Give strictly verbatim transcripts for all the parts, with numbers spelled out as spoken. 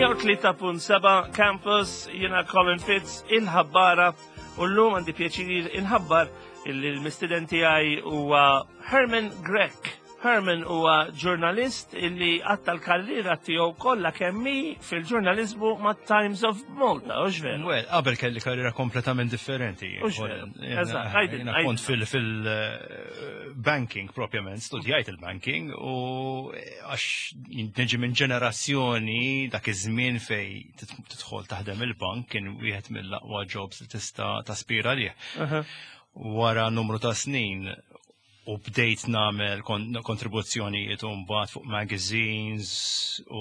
mija u tlieta punt seba' Campus, jiena Colin Fitz, il-ħabbara, u llum għandi pjaċir inħabbar illi l-mistieden tiegħi huwa Herman Grech. Herman huwa ġurnalist illi għatta l-karriera tiegħu kollha kemm hi fil-ġurnalizmu ma' Times of Malta, hux veru? Well, qabel kelli karriera kompletament differenti. Hux veru. Jiena- Eżatt, għajdin, jiena għajdin. kont fil-banking propjament, studjajt il-banking u għax niġi minn ġenerazzjoni dak iż-żmien fej tidħol taħdem il-bank kien wieħed mill-aqwa jobs li tista' taspira lih. Aha. Wara numru ta' snin u bdejt nagħmel kon kontribuzzjonijiet u mbagħad fuq magazines u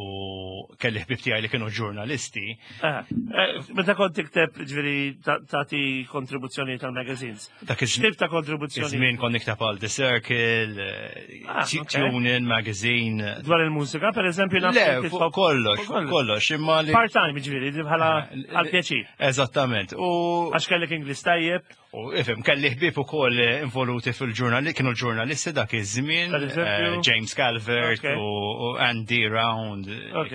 kelli ħbib tiegħi li kienu ġurnalisti. Ah, eh, Meta kont tikteb, ġifieri, tagħti kontribuzzjoni tal-magazines. Dak iż- X'tip ta' kontribuzzjoni? Iż-żmien kont nikteb għal The Circle, eh, Ah, Tu- ok. Tune In Magazine. Dwar il-mużika, per eżempju, naf Le, li fuq titħobb- kollox, fuq fuq kollox, imma li. Part-time, ġifieri, bħala għal-pjaċir. Eżattament. U Għax kellek Ingliż tajjeb. U ifhem, kelli ħbieb ukoll involuti fil-ġurnali, kienu ġurnalisti dak iż-żmien, Per eżempju? eh, James Calvert Ok. u u Andy Round, Ok.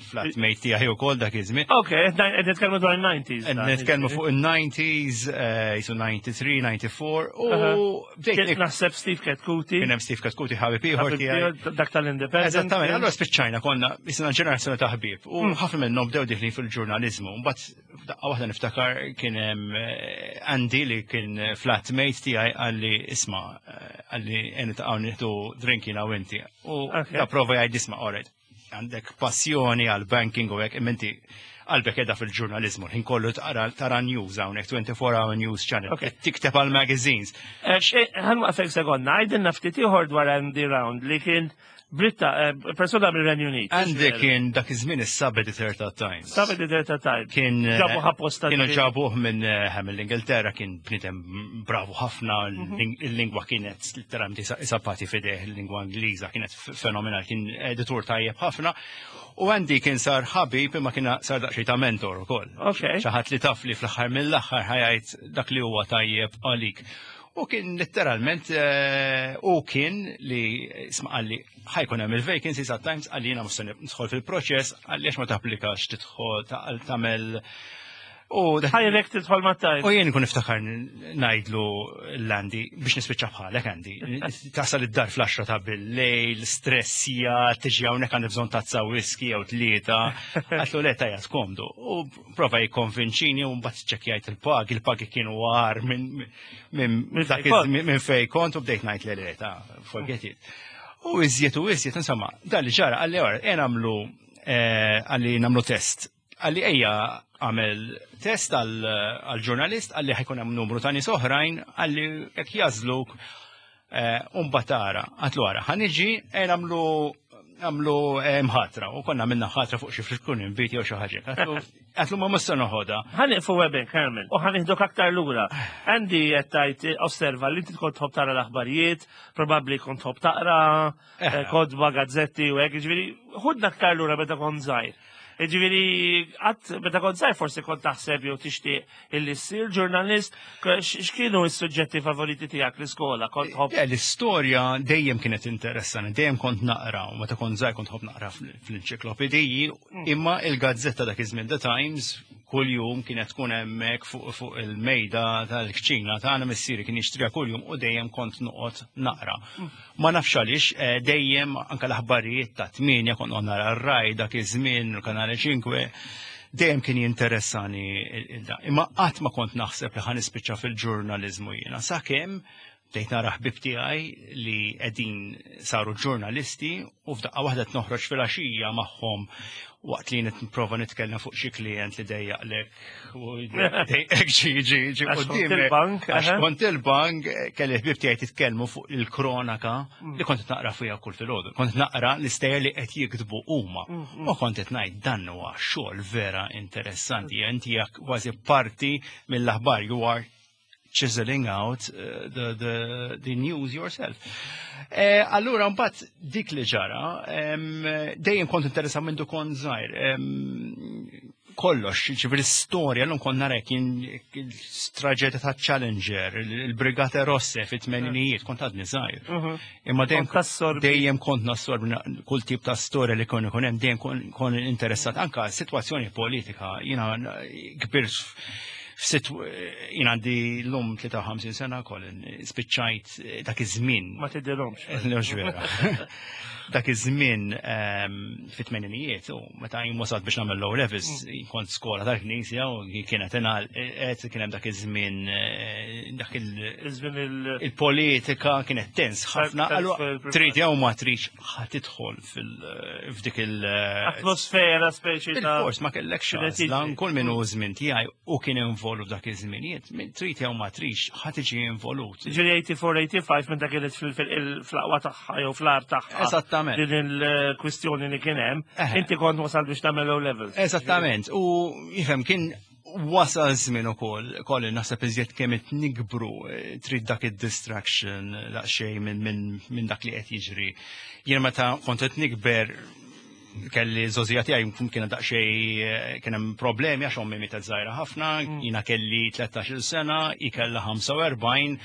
flatmate tiegħi ukoll dak iż-żmien. Ok, qed nitkellmu dwar il-nineties. Qed Nitkellmu fuq il-nineties, eh, jisu disgħa u disgħin, disgħa u erbgħa, u bdejt Kien naħseb Steve Chetcuti. Kien hemm Steve Chetcuti, ħabib ieħor tiegħi. Dak tal-Independent. Eżattament, allora spiċċajna konna jisna ġenerazzjoni ta' ħbieb u Hmm. ħafna minnhom bdew deħlin fil-ġurnaliżmu. Mbagħad daqqa waħda niftakar kien hemm eh, Andy li kien flatmate tiegħi qalli, "Isma'," eh, qalli, "ejja niltaqgħu nieħdu drink jiena u inti." U Ok. da prova jgħid, "Isma', alright, għandek passjoni għal banking u hekk, imma inti qalbek qiegħda fil-ġurnalizmu, ħin kollu tara tara news hawnhekk, twenty-four hour news channel, Ok. tikteb għal magazines." Ħa nwaqqfek sekonda, għajdilna ftit ieħor dwar Andy Round li kien Britta, eh, persona mill-Renju Unit. Andy kien dak iż-żmien is-sub-editor ta' Times. Sub-editor ta' Times. Kien eh, Ġabuh apposta. Kienu ġifieri. ġabuh minn eh, mill-Ingilterra, kien bniedem bravu ħafna, Mhm. il-lingwa kienet literalment isa pati f'idejh, il-lingwa Ingliża kienet f- fenomenal, kien editur tajjeb ħafna. U Andy kien sar ħabib imma kien sar daqsxejn ta' mentor ukoll. Ok. Xi ħadd li taf li fl-aħħar mill-aħħar ħa jgħid dak li huwa tajjeb għalik. U kien letteralment, eh, u kien li isma', qalli, "Ħa jkun hemm il-vacancies at Times," qalli, "jiena mhux se nidħol fil-proċess," qalli, "għax ma tapplikax tidħol ta- tagħmel U dak- Ħajrek tidħol ma' Times. U jien kun niftakar ngħidlu 'l Andy, "Biex nispiċċa bħalek, Andy. Tasal id-dar fl-għaxra ta' bil-lejl, stressja, tiġi hawnhekk, għandi bżonn tazza whisky jew tlieta." Għedtlu, "Le, tajja, skomdu." U prova jikkonvinċini u mbagħad ċekkjajt il-pagi, il-pagi kienu agħar minn minn Minn dak fej kont. iż- minn fej kont u bdejt ngħid, "Le, le, ta' forget it." U iżjed u iżjed, insomma, dan li ġara, qalli, "Ora, ejja nagħmlu eh, qalli, "nagħmlu test." Qalli, "Ejja għamel test għal-ġurnalist," qalli, "ħa jkun hemm numru ta' nies oħrajn," qalli, "jekk jagħżluk u mbagħad tara." Għedtlu, "Ara, ħa niġi, ejja nagħmlu għamlu mħatra," u konna minna ħatra fuq xi flitkun inviti jew xi ħaġa. Għedtlu, għedtlu "Ma mhux se noħodha." Ħa nieqfu hemmhekk, Herman, u ħa nieħduk aktar lura. Andy qed tgħid osserva li inti kont tħobb tara l-aħbarijiet, probabbli kont tħobb taqra, eh, kotba, gazzetti u hekk, ġifieri, ħudna aktar lura meta kont żgħir. Ġifieri, qatt meta kont żgħir forsi kont taħseb jew tixtieq illi ssir ġurnalist, x'kienu s-suġġetti favoriti tiegħek l-iskola? Kont tħobb? Le, l-istorja dejjem kienet interessanti, dejjem kont naqra, u meta kont żgħir kont tħobb naqra fl-enċiklopediji, imma il-gazzetta dak iż-żmien, The Times, kull jum kienet tkun hemmhekk fuq fuq il-mejda tal-kċina tagħna, missieri kien jixtriha kuljum u dejjem kont noqgħod naqra. Ma nafx għaliex, eh, dejjem anke l-aħbarijiet ta' tmienja kont noqgħod nara r-Rai dak iż-żmien, il-Kanale ċinque, dejjem kien jinteressani il- il- da. Imma qatt ma kont naħseb li ħa nispiċċa fil-ġurnaliżmu jiena. Sakemm bdejt nara ħbib tiegħi li qegħdin saru ġurnalisti u f'daqqa waħda noħroġ fil-għaxija magħhom waqt li nipprova nitkellem fuq xi klient li dejjaqlek u dejjaqlek ġi ġi ġi Għax kont quddiemek. il-bank, Għax aha. kont il-bank, kelli ħbib tiegħi titkellmu fuq il-kronaka li kont naqra fiha kull filgħodu. Kont naqra l-istejjer li qed jiktbu huma. U kont qed ngħid, "Dan huwa xogħol vera interessanti." Inti jak kważi parti mill-aħbar, you are chiseling out uh, the, the, the news yourself. Eh, allura, mbagħad dik li ġara, em, dejjem kont interessat minn kont żgħir. Em, Kollox, ġifieri storja, l kont narek kien traġedja ta' Challenger, il-Brigate Rosse fit-tmeninijiet, kont għadni żgħir. Mhm. Imma dejjem Kont tassorbi. Dejjem kont nassorbi kull tip ta' storja li kon ikun hemm, dejjem kon- kon interessat anka situazzjoni politika. Jiena kbirt f'situ jiena għandi l-lum tlieta u ħamsin sena, Colin, spiċċajt dak iż-żmien. Ma tidhirhomx. Mhux vera. Dak iż-żmien ehm, fit-tmeninijiet u meta jien wasalt biex nagħmel O levels, kont skola tal-Knisja u kienet ingħalqet, kien hemm dak iż-żmien eh, dak il- Iż-żmien il- il-politika kienet tens ħafna. Tens Allura fil- trid jew ma tridx ħa tidħol fil f'dik il- Atmosfera speċi ta' Bil-fors ma kellekx Kienet għażla, jiġri. kull min hu żmien tiegħi u kien involut dak iż-żminijiet, min trid jew ma tridx ħa tiġi involut. Ġifieri tmien u tmenin, tmienja u sebgħin minn dak kienet fil-aqwa tagħha jew fl-agħar tagħha. Eżattament. Din il-kwistjoni li kien hemm, Eħe. inti kont wasal biex tagħmel O levels. Eżattament, u jifhem kien wasal żmien ukoll, kolli naħseb iżjed kemm qed nikbru, eh, trid dak id-distraction daqsxejn minn min, min dak li qed jiġri. Jien meta kont qed nikber kelli żgħożija tiegħi kien daqsxejn eh, kien hemm problemi għax ommi mietet żgħira ħafna, jiena kelli tlettax-il sena, hi kellha ħamsa u erbgħin.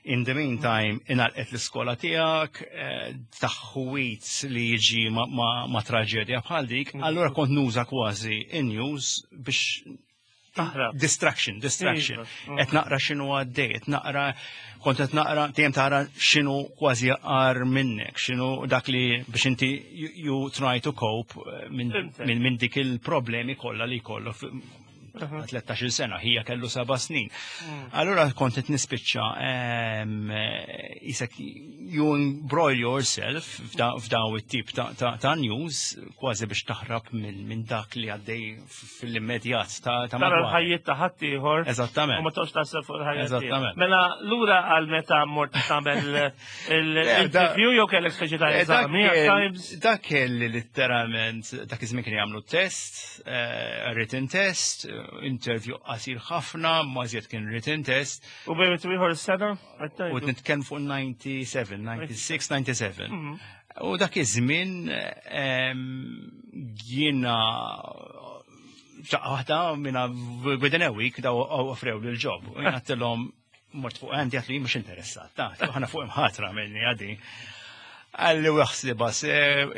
In the meantime, ingħalqet l-iskola tiegħek, eh, taħwit li jiġi ma, ma, ma traġedja bħal dik, allura kont nuża kważi in-news biex Taħrab. Distraction, distraction. Iva. Qed naqra x'inhu għaddej, qed naqra, kont qed naqra, dejjem tara x'inhu kważi agħar minnek, x'inhu dak li biex inti you, you try to cope eh, minn Fhimtek. min, min dik il-problemi kollha li kollu tlettax-il sena, hija kellu seba' snin. Allura kont qed nispiċċa em, eh, isek you embroil yourself f'da- f'daw it-tip ta', ta, ta' news kważi biex taħrab minn min dak li għaddej fil-immedjat ta' ta' Tara madwar. l-ħajjiet ta' ħaddieħor. Eżattament. U ma toqgħodx taħseb fuq il-ħajja tiegħek. Eżattament. Mela lura għal meta mort tagħmel l-interview jew kellek speċi ta' Eh, dak eżami kell- Times. Dak kelli literalment, dak iż-żmien kien jagħmlu test, eh, written test, eh, interview qasir ħafna, ma żjed kien written test, U bejn ieħor is-sena? u nitkellem fuq disgħa u disgħin, disgħa u sebgħa, disgħa u sebgħin. Mhm. U dak iż-żmien em, jiena daqqa waħda minna within a week daw offrew li l-job. U jiena għedtilhom mort fuq għandi għedtlu jien mhux interessat, ta' ħana fuq imħatra minni għadi. Qalli aħsibha,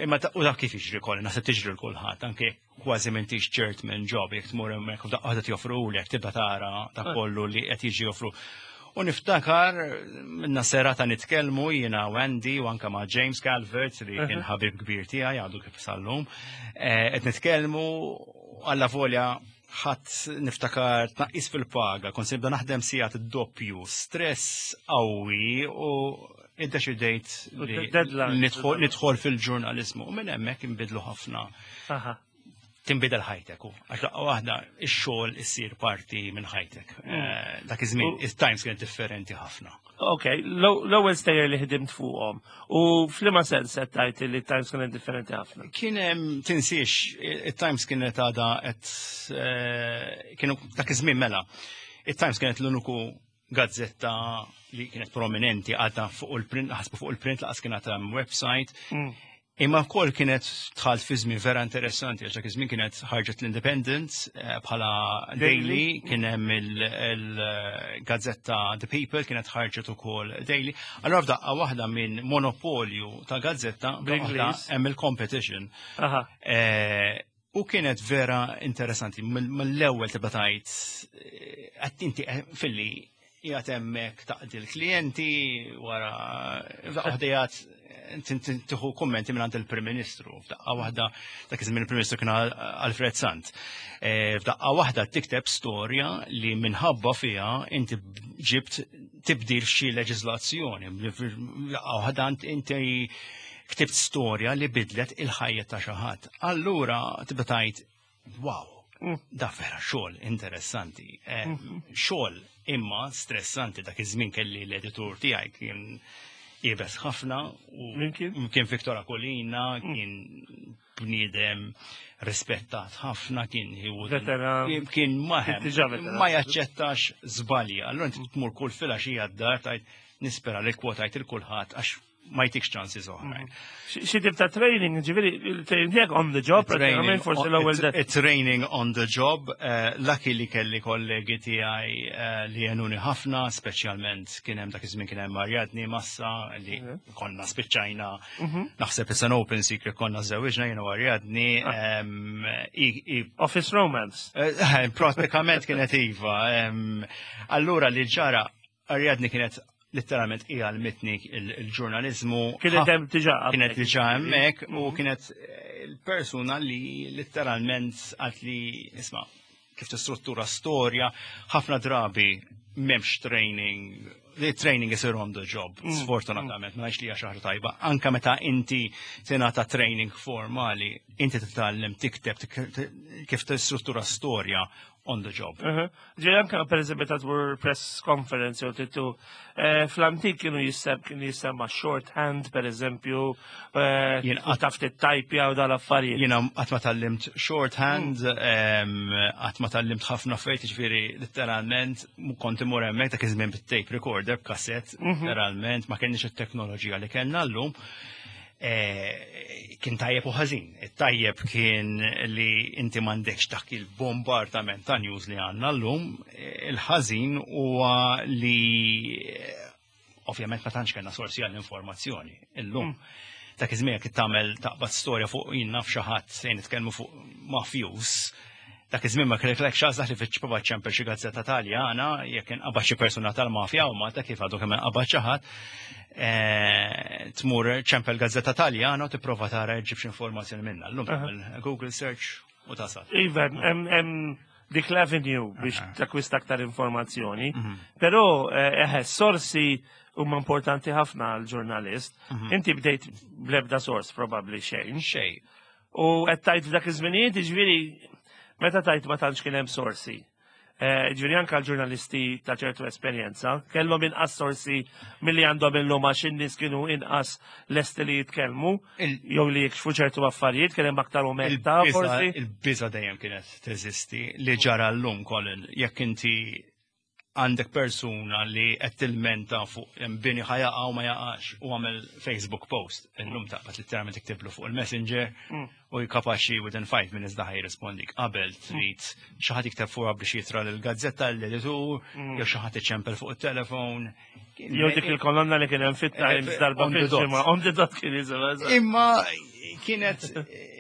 imma ta- u dak kif jiġri kolli, naħseb tiġri l-kulħadd, anke kważi m'intix ċert minn job, jekk tmur hemmhekk u daqqa waħda joffrulek, tibda tara ta' kollu li qed jiġi joffru. U niftakar minna serata nitkellmu jiena u Andy u anka ma' James Calvert li kien ħabib kbir tiegħi għadu kif sallum. Eh, Qed nitkellmu alla volja ħadd niftakar tnaqqis fil-paga, kont se nibda naħdem sigħat id-doppju, stress qawwi u iddeċidejt U li deadline. nidħol nidħol fil-ġurnalizmu u minn hemmhekk inbidlu ħafna, Aha. tinbidel ħajtek u għax daqqa waħda ix-xogħol issir parti minn ħajtek. Eh, Dak iż-żmien U- it-Times kienet differenti ħafna. Ok, l-ewwel stejjer li ħdimt fuqhom. U f'liema sens qed tgħid li Times kienet differenti ħafna? Kien hemm tinsiex it-Times kienet għada qed eh, kienu dak iż-żmien mela. It-Times kienet l-uniku gazzetta li kienet prominenti għadha fuq il-print, ħasbu fuq il-print, laqas kienet hemm website. Mm. Imma wkoll kienet dħalt fi żmien vera interessanti għax dak iż-żmien kienet ħarġet l-Independent eh, bħala daily, kien hemm il-gazzetta The People kienet ħarġet ukoll daily. Allura f'daqqa waħda minn monopolju ta' gazzetta waħda Bl-Ingliż. hemm il-competition. Aha. Eh, U kienet vera interessanti, mill- mill-ewwel tibda tgħid eh, qed inti eh, filli qiegħed hemmhekk taqdi l-klijenti wara f'daqqa waħda qiegħed tieħu kummenti minn għand il-Prim Ministru. F'daqqa waħda dak iż-żmien il-Prim Ministru kien Al- Alfred Sant. Eh, F'daqqa waħda tikteb storja li minħabba fiha inti ġibt tibdil xi leġiżlazzjoni. F'daqqa waħda inti ktibt storja li bidlet il-ħajja ta' xi ħadd. Allura tibda tgħid, wow, Mm. da vera xogħol interessanti. Eh, Xogħol imma stressanti. Dak iż-żmien kelli l-editur tiegħi kien iebes ħafna u Min kien? Kien Victor Aquilina, kien bniedem rispettat ħafna, kien he wouldn't- Veteran. kien maħem, Diġà veteran. ma jaċċettax żbalji. Allura inti tmur kull filgħaxija d-dar tgħid nispera li kwotajt il kulħadd għax ma jtikx chances oħrajn. Xi tip ta' training, ġifieri, il-training tiegħek on the job, pratikament forsi l-ewwel de. Training on the job, eh, lucky li kelli kollegi tiegħi eh, li għenuni ħafna, speċjalment kien hemm dak iż-żmien kien hemm Ariadne Massa li konna spiċċajna, naħseb it's an open secret, konna żewġna jiena u Ariadne, em, i- i- Office romance. Eh, Pratikament kienet iva. em, Allura li ġara, Ariadne kienet letteralment hija għallmitni il-ġurnalizmu. Kienet hemm diġà. Kienet diġà hemmhekk u kienet eh, il-persuna li letteralment għat li, isma', kif tistruttura storja, ħafna drabi m'hemmx training, the training is on the job, sfortunatament, ma ngħidx li hija xi ħaġa tajba. Anka meta inti tingħata training formali, inti titgħallem tikteb tik- kif tistruttura storja on the job. Ġifieri anka per eżempju ta' tmur press conference jew titu eh, fl-antik kienu jissem kienu jissemma shorthand, per eżempju, eh, Jien u taf tittajpja u dal-affarijiet. Jiena qatt ma tgħallimt shorthand, em, qatt ma tgħallimt ħafna affarijiet, ġifieri letteralment mu kont imur hemmhekk dak iż-żmien bit-tape recorder b'kassett, letteralment ma kenniex it-teknoloġija li kellna llum. Eh, Kien tajjeb u ħażin. It-tajjeb kien li inti m'għandekx dak il-bombardament ta' news li għandna llum. Eh, Il-ħażin huwa li eh, ovvjament ma tantx kellna sorsi għall-informazzjoni illum. Dak iż-żmien jekk tagħmel taqbad storja fuq, jien naf, xi ħadd, se nitkellmu fuq mafjus, dak iż-żmien ma kellek għażla li tipprova ċempel xi gazzetta Taljana jekk inqabad xi persuna tal-mafja u Malta, kif għadu kemm inqabad xi ħadd, eh, tmur ċempel gazzetta Taljana u tipprova tara ġġib xi informazzjoni minnha. Llum tagħmel Google search u tasal. Iva, hemm hemm dik l-avenue biex takwista aktar informazzjoni. Però eh, eħe, sorsi huma importanti ħafna għal ġurnalist. Inti bdejt blebda sors, probabbli xejn. Xej. U qed tajt f'dak iż-żminijiet, ġifieri meta tajt ma tantx kien hemm sorsi. Eh, Ġifieri anke l-ġurnalisti ta' ċertu esperjenza kellhom inqas sorsi milli għandhom illum għax in-nies kienu inqas lesti li jitkellmu Il- jew li jikxfu ċertu affarijiet, kien hemm aktar omertà forsi. Il-biża dejjem kienet teżisti. Li ġara llum, Colin, jekk inti għandek persuna li qed tilmenta fuq bini ħa jaqa' u ma jaqax u għamel Facebook post, illum taqbad literalment tiktiblu fuq il-Messenger u jkapaxi within five minutes daħ jirrispondik. Qabel trid xi ħadd jikteb fuqha biex jitra lill-gazzetta, l-editur, jew xi ħadd iċempel fuq it-telefon. Jew dik il-kolonna li kien hemm fit-Times darba On the dot. fil-ġimgħa, on the dot kien jisimha. Imma kienet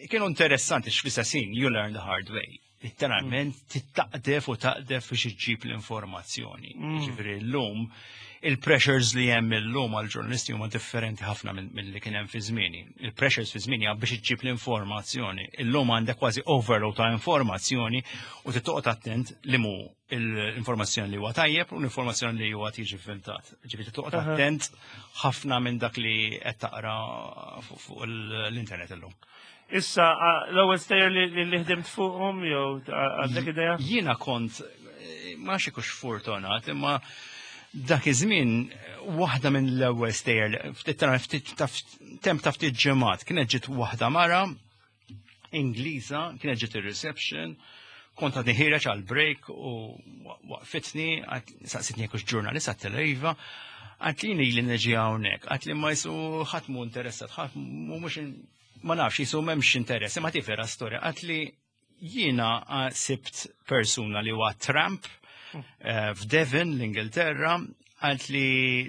kienu interessanti x'fis-sens you learn the hard way. Literalment tittaqdef u taqdef biex iġġib l-informazzjoni. Ġifieri llum il-pressures li hemm illum għal-ġurnalisti huma differenti ħafna minn li kien hemm fi żmieni. Il-pressures fi żmieni biex iġġib l-informazzjoni. Illum għandek kważi overload ta' informazzjoni u tittoqgħod attent li mu l-informazzjoni li huwa tajjeb u l-informazzjoni li huwa tiġi filtrat. Ġifieri tittoqgħod attent ħafna minn dak li qed taqra fuq l-internet illum. Issa, l-ewwel stejjer li li ħdimt fuqhom jew għandek idea? Jiena kont eh, ma nafx hux fortunat, imma dak iż-żmien waħda minn l-ewwel stejjer ftit ftit temp ta' ftit ġimgħat kienet ġiet waħda mara Ingliża, kienet ġiet ir-reception, kont għadni ħiereġ għal break u waqfitni, saqsitni jekk ġurnalist, għedtilha iva, għedtli li neġi hawnhekk, għedtli ma jisu ħadd mu interessat, ħadd mu mhux, ma nafx, jisu m'hemmx interess, imma tifera storja, għedtli jiena sibt persuna li huwa tramp eh, f'Devon, l-Ingilterra, għedtli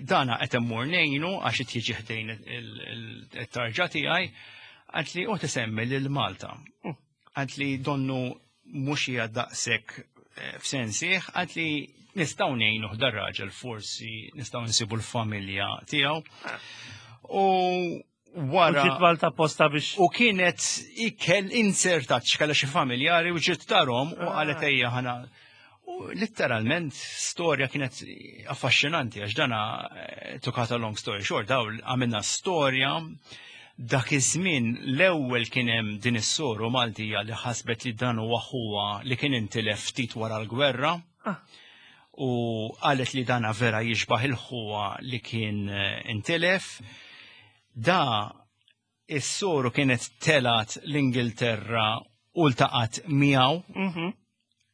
dana qed immur ngħinu għax qed jiġi ħdejn il-tarġa tiegħi, għedtli u tisemmi lil Malta. Għedtli donnu mhux hija daqshekk eh, f'sensih, għedtli nistgħu ngħinu dar-raġel, forsi nistgħu nsibu l-familja tiegħu. U wara. Ġiet Malta posta biex. U kienet ikel insertat x'kella xi familjari u ġiet tarhom u qalet ejja ħana. U letteralment storja kienet affaxxinanti għax dana, eh, to cut a long story short, daw għamilna storja. Dak iż-żmien l-ewwel kien hemm din is-soru Maltija li ħasbet li dan huwa ħuha li kien intilef ftit wara l-gwerra. Ah. U qalet li dana vera jixbaħ il-ħuha li kien eh, intilef. Da is-soru kienet telat l-Ingilterra u ltaqat miegħu Mhm.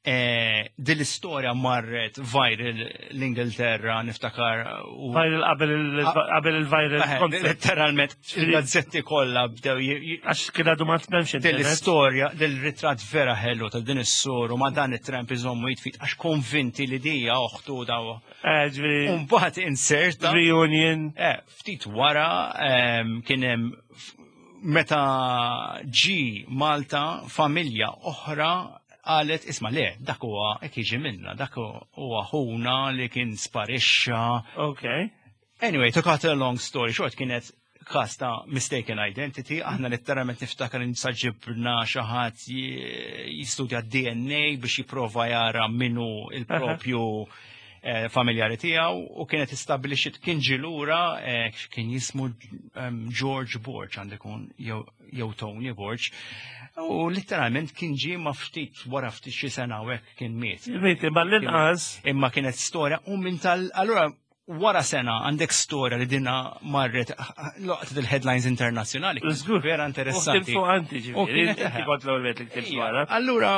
Eh, Din l-istorja marret viral l-Ingilterra, niftakar. u- Viral qabel il- qabel il-viral Eh, concept. Letteralment, il-gazzetti kollha bdew j- j- Għax kien għadu ma tmemx din internet. l-istorja, del-ritratt vera ħelu ta' din is-soru ma' dan it-tramp iżommu jitfit għax konvinti li dija oħtu daw. Eh, ġifieri, Umbagħad inserta. reunion. Eh, ftit wara em, kien hemm f- meta ġi Malta familja oħra qalet isma' le, dak huwa hekk jiġi minna, dak huwa ħuna li kien sparixxa. Ok. Anyway, to cut a long story short, kienet kas ta' mistaken identity, aħna letteralment niftakar sa ġibna xi ħadd jistudja D N A biex jipprova jara minnu il-propju eh, familjari tiegħu u kienet istabbilixxiet kien ġie lura eh, kien jismu em, George Borg għandu jkun jew jew Tony Borg u letteralment kien ġie ma ftit wara ftit xi sena u hekk kien miet. Miet, imma l-inqas. Imma kienet storja u minn tal allura wara sena għandek storja li dina marret loqtet il-headlines internazzjonali. Żgur. Vera interessanti. U fuq anti U ġifieri. kienet- Inti kont l-ewwel wieħed li ktibt Ija, dwarha. Allura,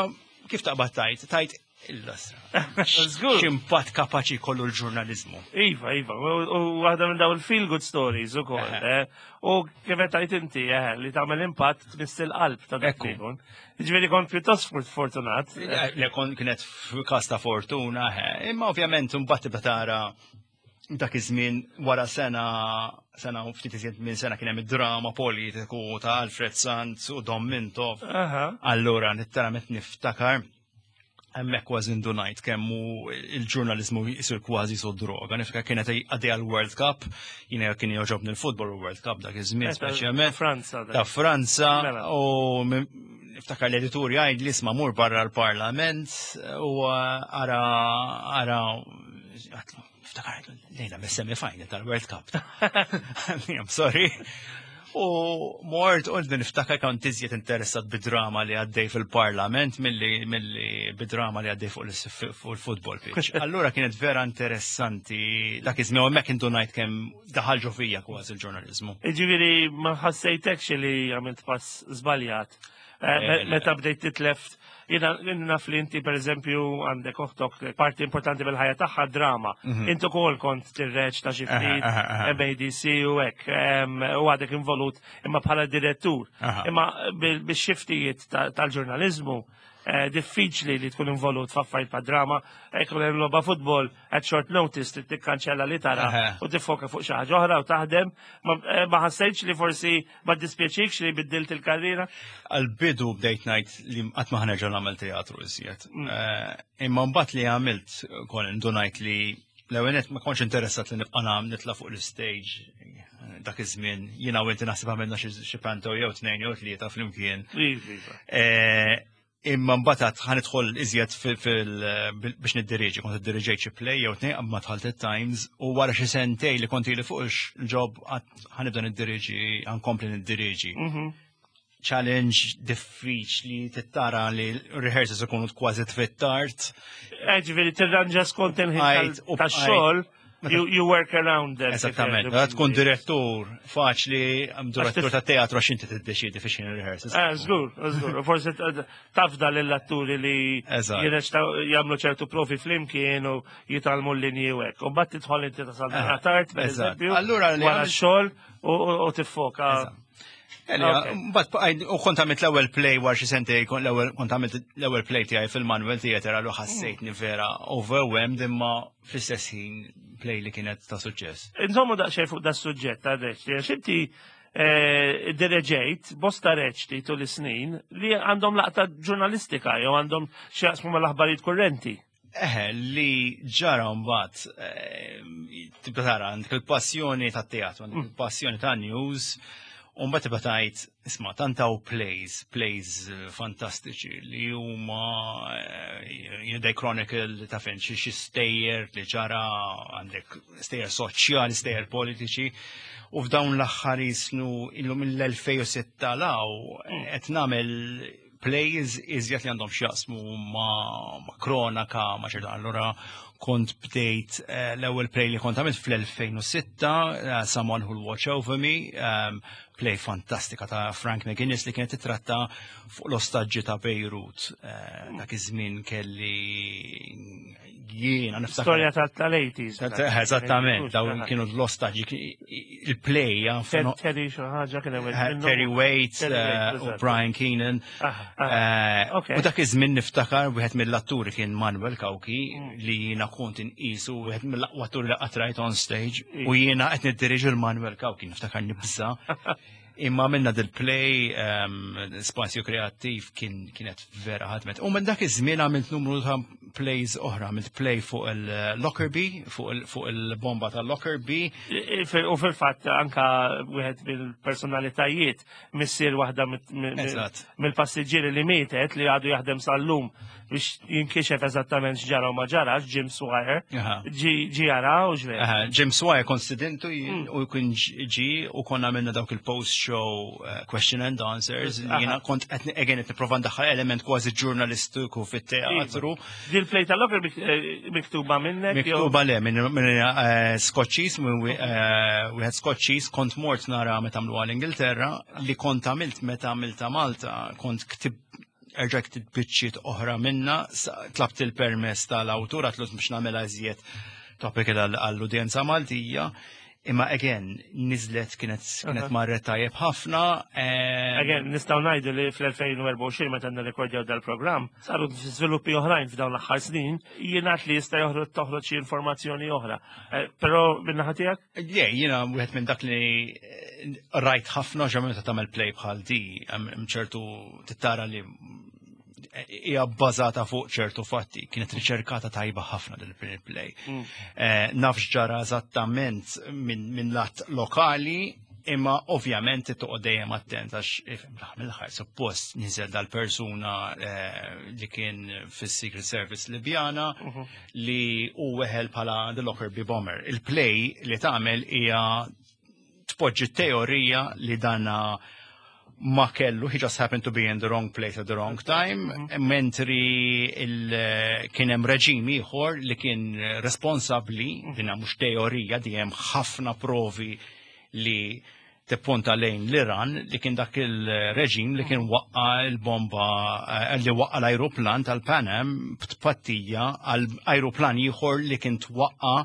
kif taqbad tajt? Tajt il-lastra. Żgur. X'impatt kapaċi kollu l-ġurnalizmu. Iva, iva, u u waħda minn daw il-feel good stories u koll. Eħe. eh. U kif qed tgħid inti, eh, li tagħmel impatt tmiss il-qalb ta' dak Ekku. li jkun. Ġifieri kont pjuttost fort- fortunat. Le kon kienet f'każ ta' fortuna, eh, imma ovvjament mbagħad tibda tara dak iż-żmien wara sena sena u ftit iżjed minn sena kien hemm id-drama politiku ta' Alfred Sant u Dom Mintoff. Aha. Allura, letteralment niftakar, hemmhekk kważi ndunajt kemmu il-ġurnalizmu jisir kważi su droga. Niftakar kienet għaddej għal-World Cup, jiena kien jogħġobni l-futbol u World Cup dak iż-żmien Eh, ta' speċjalment. Franza. dak. Ta' Franza Mela. u min- niftakar l-editur jgħid li isma' mur barra l-Parlament u ara ara għatlu, niftakar lejla mis-semi-final tal-World Cup. I'm sorry. U mort u niftakar kont iżjed interessat bid-drama li għaddej fil-parlament milli milli bid-drama li għaddej fuq l- fuq il-football pitch. Allura kienet vera interessanti dak iż-żmien u hemmhekk indunajt kemm daħal ġo fija kważi il-ġurnalizmu. Ġifieri ma ħassejtekx li għamilt pass żbaljat. Eh, Eh, me- le. Meta bdejt titlef, jiena naf li inti per eżempju għandek oħtok parti importanti bil-ħajja tagħha drama. Inti ukoll kont tirreċta xi ftit Aha, aha, aha. M A D C u hekk, em, u għadek involut imma bħala direttur. Aha. Imma bil- bil-xiftijiet ta- tal-ġurnalizmu eh, diffiċli li tkun involut f'affarijiet pa' drama, jkun hemm logħba futbol at short notice trid tikkanċella li tara Aha. u tiffoka fuq xi ħaġa oħra u taħdem. Ma eh, ma ħassejtx li forsi ma dispjaċikx li biddilt il-karriera? Għal-bidu bdejt ngħid li qatt ma ħa nerġa' nagħmel teatru iżjed. Eh, Imma mbagħad li għamilt kol indunajt li l-ewwel ma kontx interessat li nibqa' nagħmel nitla' fuq l-stage dak iż-żmien jiena u inti naħseb għamilna xi xi panto jew tnejn jew tlieta flimkien. Iva, iva. Eh, Imma mbagħad ħa nidħol iżjed fil- fil- biex niddiriġi, kont iddiriġejt xi play jew tnejn qabel ma dħalt it-Times u wara xi sentej li kont ili fuq il-job ħa nibda niddiriġi, ħa nkompli niddiriġi. Mhm. Challenge diffiċli tittara li rehearsals ikunu kważi fit-tard. Eh, ġifieri tirranġa skont il-ħin Għajt, u tax-xogħol, you, you work around them. Esattament. Meta tkun direttur faċli, direttur ta' teatru għax inti tiddeċidi fi x'ħin rehearsals. Eh, żgur, żgur. Forsi t- tafda lill-atturi li Eżatt. jirreċtaw jagħmlu ċertu provi flimkien u jitgħallmu l-linji u hekk. U mbagħad tidħol inti tasal Eh, tard, per eżatt. eżempju, Allura li wara għamilt- x-xogħol u u- u tiffoka. Eżatt. Eli, Ok. Mbagħad bqajt- u kont għamilt l-ewwel play wara xi sentej, kont l-ewwel kont għamilt l-ewwel play tiegħi fil-Manuel Theatre għallu ħassejtni vera overwhelmed imma fl-istess ħin play li kienet ta' suċċess. Insomma daqsxejn fuq da suġġett ta' reċti, għax inti eh, direġejt bosta reċti tul is-snin li għandhom laqta ġurnalistika jew għandhom xi jaqsmu mal-aħbarijiet kurrenti. Eħe, li ġara mbagħad eh, tibda tara għandek il-passjoni ta' teatru, għandek il-passjoni ta' news, u mbagħad tibda tgħid isma' tant hawn plays, plays eh, fantastiċi li huma eh, you know, they chronicle ta' fejn xi xi stejjer li ġara għandek stejjer soċjali, stejjer politiċi, u f'dawn l-aħħar jisnu illum mill-elfejn u sitta law qed nagħmel plays iżjed li għandhom x'jaqsmu ma, ma kronaka, ma ċerta. Allura Kont bdejt eh, l-ewwel play li kont għamilt fl-elfejn u sitta, eh, Someone Who'll Watch Over Me, um, play fantastika ta' Frank McGuinness li kienet titratta fuq l-ostaġġi ta' Beirut. Eh, Dak iż-żmien kelli jiena niftakar. Storja tal-eighties. Eżattament, dawn kienu l-ostaġġi, il-play, ja, Terry xi ħaġa kien hemm minnhom. Terry Waite Terry Waite, eh, u eżatt. Brian Keenan. Aha, aha. Eh, Ok. U dak iż-żmien niftakar wieħed mill-atturi kien Manuel Cauchi, Mm. li jiena kont inqisu wieħed mill-aqwa atturi li qatt rajt on stage, u jiena qed niddiriġi l-Manuel Cauchi, niftakar nibża. Imma minna dil-play, um, Spazju Kreattiv kien kienet vera ħadmet. U minn dak iż-żmien għamilt numru ta' plays oħra, għamilt play fuq il-Lockerbie, fuq il- fuq il-bomba tal-Lockerbie. U fil-fatt anka wieħed mill-personalitajiet, missier waħda mit- mi- Eżatt. mill-passiġġieri li mietet, li għadu jaħdem sal-lum biex jinkixef eżattament x'ġara u ma ġarax, Jim Swire, Aha. ġi ġi jara u ġver. Aha, Jim Swire kont stedintu jien u kien ġi u konna minna dawk il-post-show uh, question and answers li Aha. jiena kont qed again qed nipprova ndaħħal element kważi ġurnalistiku fit-teatru. Dil-play tal-Lockerbie eh, miktuba minnek? jew- Miktuba le minn minn, eh, Scotchies, minn eh, wieħed Scotchies, kont mort nara meta għamlu l-Ingilterra, li kont għamilt meta għamilta Malta, kont ktib erġa' ktib biċċiet oħra minna, sa- tlabt il-permess tal-awtur għatlu biex nagħmilha iżjed topical għall- għall-udjenza Maltija. Imma again, nizlet kienet kienet Aha. marret tajjeb ħafna. eh, Again, nistgħu ngħidu li fl-elfejn u erbgħa u għoxrin, meta nirrekordjaw dal-programm, saru żviluppi oħrajn f'dawn l-aħħar snin, jingħad li jista' joħroġ toħroġ xi informazzjoni oħra. Eh, Però min-naħa tiegħek? Le, jiena wieħed minn dak li eh, rajt ħafna ġa meta tagħmel play bħal di, hemm ċertu tittara li hija bbażata fuq ċertu fatti, kienet riċerkata tajba ħafna dil play. Eh, Naf x'ġara eżattament minn min lat lokali, imma ovvjament toqgħod dejjem attent għax ifhem, mill-aħħar suppost niżel dal-persuna eh, li kien fis-Secret Service Libjana li u weħel bħala The Lockerbie Bomber. Il-play li tagħmel hija tpoġġi teorija li dana ma kellu, he just happened to be in the wrong place at the wrong time, mentri il- kien hemm reġim ieħor li kien responsabbli, dinha mhux teorija, di hemm ħafna provi li tipponta lejn l-Iran, li kien dak il-reġim li kien waqqa il-bomba, eh, li waqqa l-ajruplan tal-Pan Am b'tpattija għal ajruplan ieħor li kien twaqqa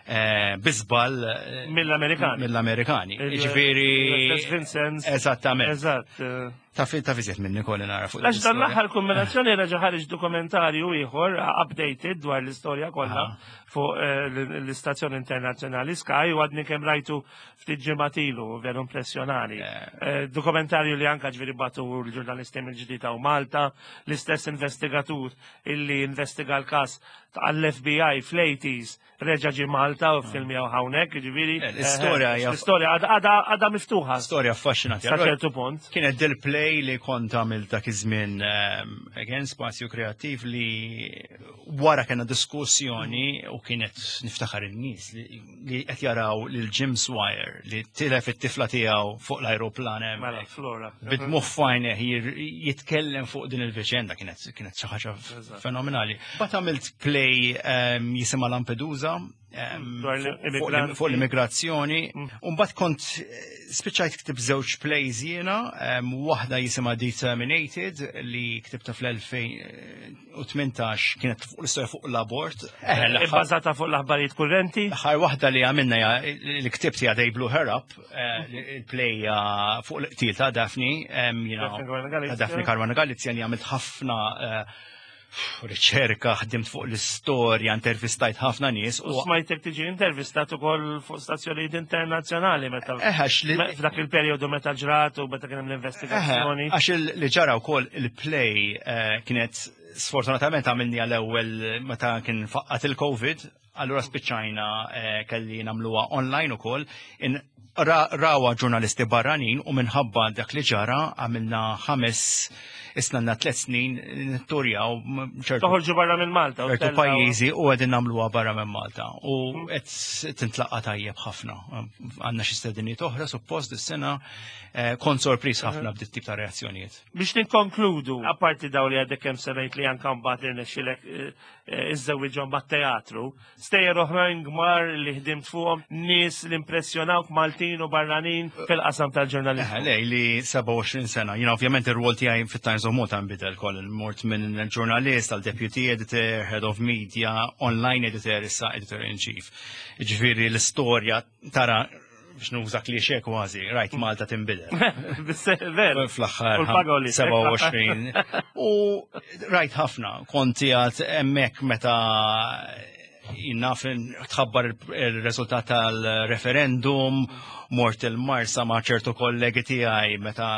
eh, bi żball eh, Mill-Amerikani. Mill-Amerikani. Il- Ġifieri. Il-U S S Vincennes. Eżattament. Eżatt. eh. Ta' fi ta' fiżiet minni kolli nara fuq Għax dan l-istorja. l-aħħar kombinazzjoni reġa' ħareġ dokumentarju ieħor updated dwar l-istorja kollha fuq eh, l- l-istazzjoni internazzjonali Sky, u għadni kemm rajtu ftit ġimgħat ilu, veru impressjonali. Eh, Dokumentarju li anka ġifieri batu l-ġurnalisti mill-ġdida u Malta, l-istess investigatur illi investiga l-każ għall-F B I fl-eighties reġa' ġi Malta u filmjaw hawnhekk, ġifieri. Eh, l-istorja eh, hija- L-istorja għadha- għadha għadha miftuħa. Storja affaxxinanti. Sa Allora, ċertu punt. kienet del-play li kont għamil dak iż-żmien, um, again, Spazju Kreattiv, li wara kena diskussjoni u kienet niftakar in-nies li li qed jaraw lil Jim Swire li tilef it-tifla tiegħu fuq l-ajruplan Mela, hemmhekk. Flora. Bid-dmugħ f'għajnejh jitkellem fuq din il-viċenda kienet kienet xi ħaġa Eżatt. fenomenali. But għamilt play um, jisimha Lampedusa um, Dwar fuq- fuq l-immigranti. fuq l-immigrazzjoni. Umbagħad kont eh, spiċċajt ktib żewġ plays jiena, um, waħda jisimha Determinated li ktibta fl-elfejn u tmintax, kienet fuq l-istorja fuq l-abort. Eh, l-aħħar- Ibbażata fuq l-aħbarijiet kurrenti. L-aħħar waħda li għamilna ja- li ktibt hija They Blew Her Up, eh, il-play hija fuq l-qtil ta' Daphne, em, you know, Daphne Caruana Galizia. ta' Daphne Caruana Galizia, li għamilt ħafna eh, riċerka, ħdimt fuq l-istorja, intervistajt ħafna nies. U smajtek tiġi intervistat ukoll fuq stazzjonijiet internazzjonali meta Eh, għax li- me- f'dak il-perjodu meta ġrat u meta kien hemm l-investigazzjoni. Eħe, għax il- li ġara wkoll il-play eh, kienet sfortunatament għamilni għal-ewwel meta kien faqqat il-Covid, allura spiċċajna eh, kelli nagħmluha online ukoll. In Rawha ġurnalisti barranin u minħabba dak li ġara għamilna ħames isna tliet snin nitturjaw ċertu Toħorġu barra minn Malta. u ċertu pajjiżi u qegħdin nagħmluha barra minn Malta u qed tintlaqa tajjeb ħafna. Għandna xi stediniet oħra suppost dis-sena, eh, kont sorpriż ħafna b'dit tip ta' reazzjonijiet. Biex ninkonkludu, apparti daw li għadek kemm semmejt li anka mbagħad irnexxilek eh, eh, iżżewwiġhom mat-teatru, stejjer oħrajn kbar li ħdimt fuqhom, nies li impressjonawk Maltin u barranin fil-qasam tal-ġurnalizmu. Eh, Le, li sebgħa u għoxrin sena. Jiena ovvjament ir-rwol tiegħi fit-Times of Malta nbidel koll. Mort minn ġurnalist għal deputy editor, head of media, online editor, issa editor in chief. Ġifieri l-istorja tara biex nuża klixe kważi, rajt Malta tinbidel. Ver. Fl-aħħar U l-pagoli. sebgħa u għoxrin. U rajt ħafna, konti għad hemmhekk meta naf tħabbar il-rezultat tal-referendum, mort il-Marsa ma' ċertu kollegi tiegħi meta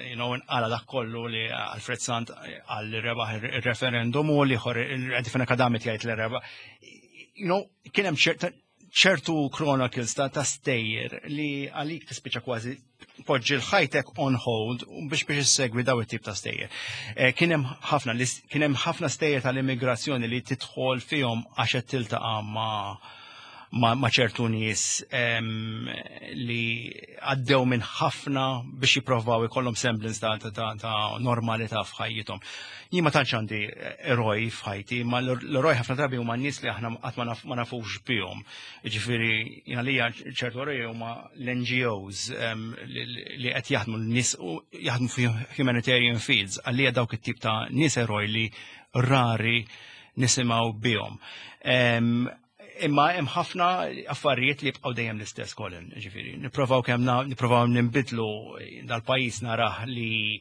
you know, nqala dak kollu li Alfred Sant għal rebaħ il-referendum u li ħor il-Edifina Kadami jgħid li rebaħ. You know, kien hemm ċerta ċertu chronicles ta' ta' stejjer li għalik tispiċa kważi poġġi l-ħajtek on hold u biex biex issegwi daw it-tip ta' stejjer. Eh, Kien hemm ħafna li kien hemm ħafna stejjer tal-immigrazzjoni li tidħol fihom għax qed tiltaqa' ma' ma, ma ċertu nies em, li għaddew minn ħafna biex jipprovaw ikollhom semblance ta', ta, ta, ta normalità f'ħajjithom. Jien ma tantx għandi eroj f'ħajti, ma l-eroj ħafna drabi huma nies li aħna qatt ma naf- ma nafux bihom. Ġifieri jiena lija ċertu eroj huma l-N G Os em, li li qed jaħdmu n-nies u jaħdmu fi humanitarian fields, għalija dawk it-tip ta' nies eroj li rari nisimgħu bihom. Em, Imma hemm ħafna affarijiet li jibqgħu dejjem l-istess, Colin, ġifieri. Nipprovaw kemm na- nipprovaw ninbidlu dal-pajjiż, narah li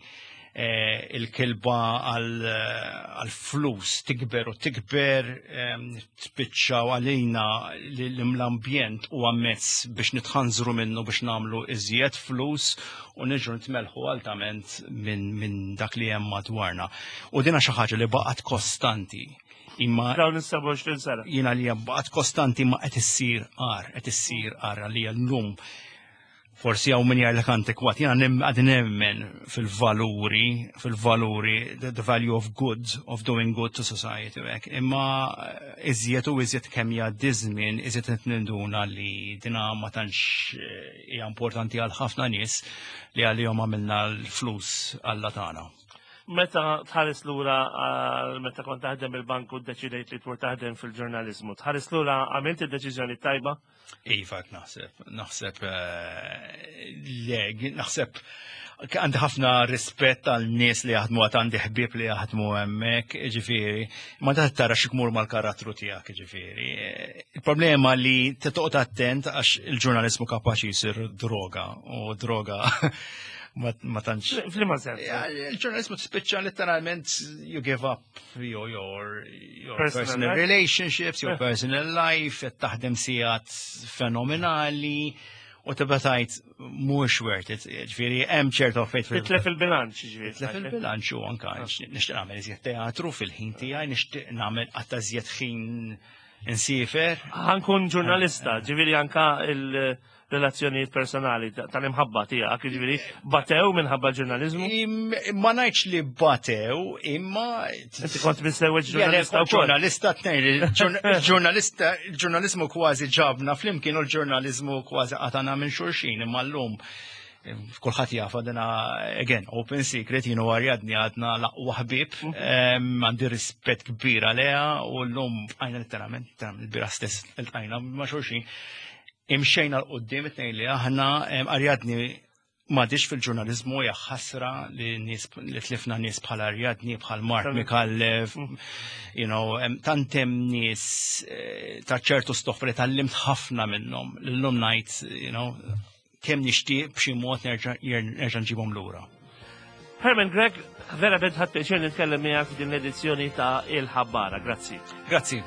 eh, il-kilba għal-flus tikber u tikber, em, tspiċċaw għalina li l-ambjent u mezz biex nitħanżru minnu biex nagħmlu iżjed flus u niġu nitmelħu altament minn min dak li hemm madwarna. U dina xi ħaġa li baqgħet kostanti. Imma Dawn is-sebgħa u għoxrin sena. Jiena li baqgħet kostanti ma qed issir agħar, qed issir agħar għalija llum. Forsi hawn min jgħidlek antikwat, jiena nim għad nemmen fil-valuri, fil-valuri, the, the value of good, of doing good to society u hekk. Imma eh, iżjed u iżjed kemm jgħaddi żmien, iżjed qed ninduna li dina ma tantx eh, hija importanti għal ħafna nies li għalihom għamilna l-flus alla tagħna. Meta tħares lura għal meta kont taħdem il-bank u ddeċidejt li tmur taħdem fil-ġurnalizmu, tħares lura, għamilt id-deċiżjoni tajba? Iva, naħseb, naħseb, eh, le, naħseb għandi ħafna rispett għal nies li jaħdmu, għad għandi ħbieb li jaħdmu hemmhekk, ġifieri, ma ta' tara x'ikmur mal-karattru tiegħek, ġifieri. Il-problema li toqgħod attent għax il-ġurnalizmu kapaċi jsir droga u droga ma ma tantx. F'liema sens? Ja, il-ġurnalizmu tispiċċa literalment you give up your your, your personal personal life. Relationships, your personal life, qed taħdem sigħat fenomenali u tibda tgħid mhux worth it. Ġifieri hemm ċertu affarijiet fil- Titlef il-bilanċ, ġifieri. Titlef il-bilanċ u anka nixtieq nagħmel iżjed teatru fil-ħin tiegħi, nixtieq nagħmel qatta iżjed ħin insiefer. Ħa nkun ġurnalista, ġifieri anka il-relazzjonijiet personali ta- tal-imħabba tiegħek, ġifieri batew minħabba ġurnalizmu. Im- Ma ngħidx li batew, imma Inti kont miżżewweġ ġurnalista wkoll. Ġurnalista tnejn, il-ġurnalista, il-ġurnalizmu kważi ġabna flimkien u l-ġurnalizmu kważi qatana minn xulxin, imma llum kulħadd jafa dina, again, open secret, jien u Arjadni għadna l-aqwa ħbieb, em, għandi rispett kbir għaliha u llum bqajna letteralment, letteralment il-bieraħ stess iltqajna ma' xulxin. Imxejna 'l quddiem it-tnejn li aħna, em, Arjadni m'għadhiex fil-ġurnalizmu, hija ħasra li nies li tlifna nies bħal Arjadni, bħal Mark Micallef, you know, em, tant hemm nies eh, ta' ċertu stoffa li tgħallimt ħafna minnhom. Illum ngħid, you know, kemm nixtieq b'xi mod nerġa' nerġa' nġibhom lura. Herman Grech, vera bed ħadt pjaċir nitkellem miegħek f'din l-edizzjoni ta' Il-Ħabbara. Grazzi. Grazzi.